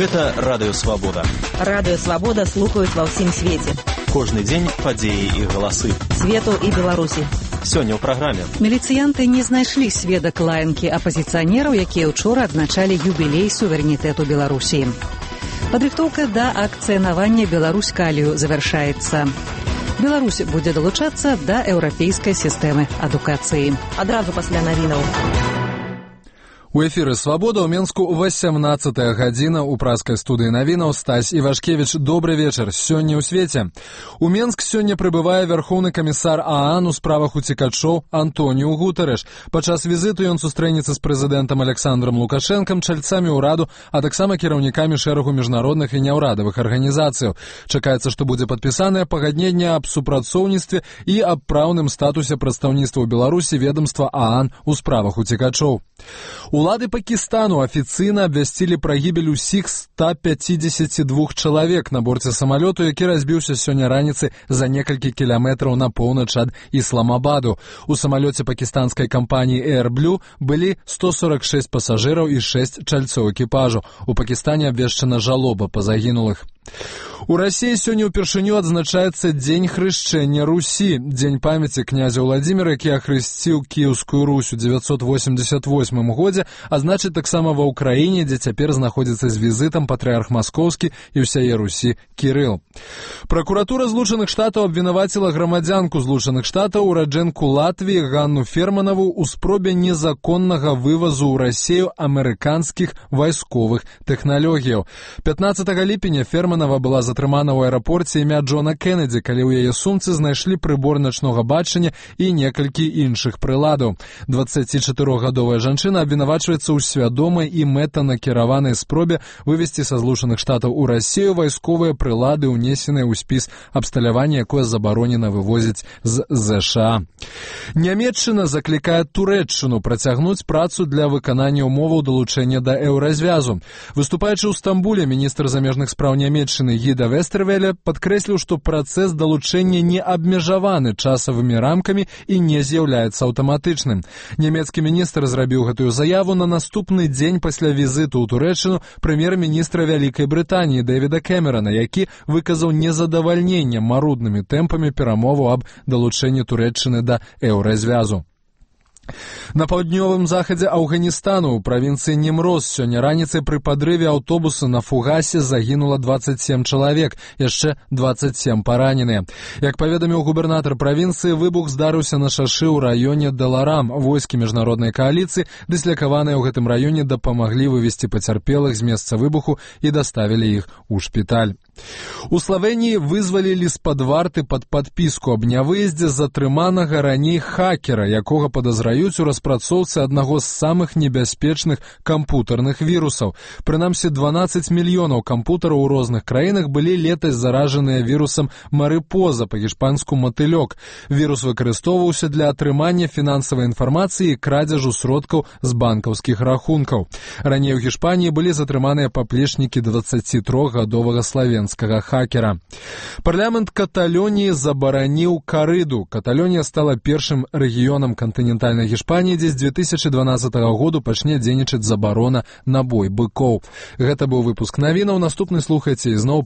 Гэта Радыё Свабода. Радыё Свабода слухаюць ва ўсім свеце. Кожны дзень падзеі і галасы. Свету і Беларусі. Сёння ў праграме. Міліцыянты не знайшлі сведак лаянкі апазіцыянераў, якія ўчора адзначалі юбілей суверэнітэту Беларусі. Падрыхтоўка да акцыянавання «Беларусь-Калію» завяршаецца. Беларусь будзе далучацца да еўрапейскай сістэмы адукацыі. Адразу пасля навінаў. У эфіры «Свабода» ў Менску 18-я гадзіна. У праскай студыі навінаў Стась Івашкевіч. Добры вечар. Сёння ў свеце. У Менск сёння прыбывае вярхоўны камісар ААН у справах уцекачоў Антоніу Гутарэш. Падчас візіту ён сустрэнецца з прэзідэнтам Александром Лукашэнкам, чальцамі ўраду, а таксама кіраўнікамі шэрагу міжнародных і няўрадавых арганізацыяў. Чакаецца, што будзе падпісанае пагадненне аб супрацоўніцтве і аб праўным статусе прадстаўніцтва ў Беларусі ведамства ААН у справах уцекачоў. Улады Пакістану афіцыйна абвясцілі пра гібель усіх 152 чалавек на борце самалёту, які разбіўся сёння раніцай за некалькі кіламетраў на поўнач ад Ісламабаду. У самалёце пакістанскай кампаніі Air Blue былі 146 пасажыраў і 6 чальцоў экіпажу. У Пакістане абвешчана жалоба па загінулых. У Расіі сёння ўпершыню адзначаецца Дзень хрышчэння Русі. Дзень памяці князя Владзіміра, які ахрысціў Кіеўскую Русь у 988 годзе, а значыць таксама ва ўкраіне, дзе цяпер знаходзіцца з візітам патрыарх Маскоўскі і ўсяе Русі Кірыл. Пракуратура Злучаных Штатаў абвінаваціла грамадзянку Злучаных Штатаў, ураджэнку Латвіі Ганну Ферманаву ў спробе незаконнага вывазу ў Расію амерыканскіх вайсковых тэхналогіяў. 15 ліпеня Ферманава была затрымана ў аэрапорце імя Джона Кеннеді, калі ў яе сумцы знайшлі прыбор начнога бачання і некалькі іншых прыладаў. 24-гадовая жанчына абвінавачваецца ў свядомай і мэтанакіраванай спробе вывезці са Злучаных Штатаў у Расію вайсковыя прылады, унесеныя ў спіс абсталявання, якое забаронена вывозіць з ЗША. Нямецчына заклікае Турэччыну працягнуць працу для выканання ўмоваў далучэння да еўразвязу. Выступаючы ў Стамбуле, міністр замежных спраў Нямецчыны Гіда Вестэрвеля падкрэсліў, што працэс далучэння не абмежаваны часавымі рамкамі і не з'яўляецца аўтаматычным. Нямецкі міністр зрабіў гэтую заяву на наступны дзень пасля візіту ў Турэччыну прэм'ер-міністра Вялікай Брытаніі Дэвіда Кэмерана, які выказаў незадавальненне маруднымі тэмпамі перамоваў аб далучэнні Турэччыны да еўразвязу. На паўднёвым захадзе Афганістану ў правінцыі Немроз сёння раніцай пры падрыве аўтобуса на фугасе загінула 27 чалавек, яшчэ 27 параненыя. Як паведаміў губернатар правінцыі, выбух здарыўся на шашы ў раёне Даларам. Войскі міжнароднай кааліцыі, дыслякаваныя ў гэтым раёне, дапамаглі вывезці пацярпелых з месца выбуху і даставілі іх у шпіталь. У Славеніі вызвалілі з-пад варты пад падпіску аб нявыездзе затрыманага раней хакера, якога падазраюць у распрацоўцы аднаго з самых небяспечных кампутарных вірусаў. Прынамсі, 12 мільёнаў кампутараў у розных краінах былі летась заражаныя вірусам марыпоза, па-гішпанску матылёк. Вірус выкарыстоўваўся для атрымання фінансавай інфармацыі і крадзяжу сродкаў з банкаўскіх рахункаў. Раней у Гішпаніі былі затрыманыя паплечнікі 23-гадовага славенскага хакера. Парламент Каталоніі забараніў карыду. Каталонія стала першым рэгіёнам кантынентальнай Гішпаніі, дзе з 2012 году пачне дзейнічаць забарона на бой быкоў. Гэта быў выпуск навінаў. Наступны слухайце ізноў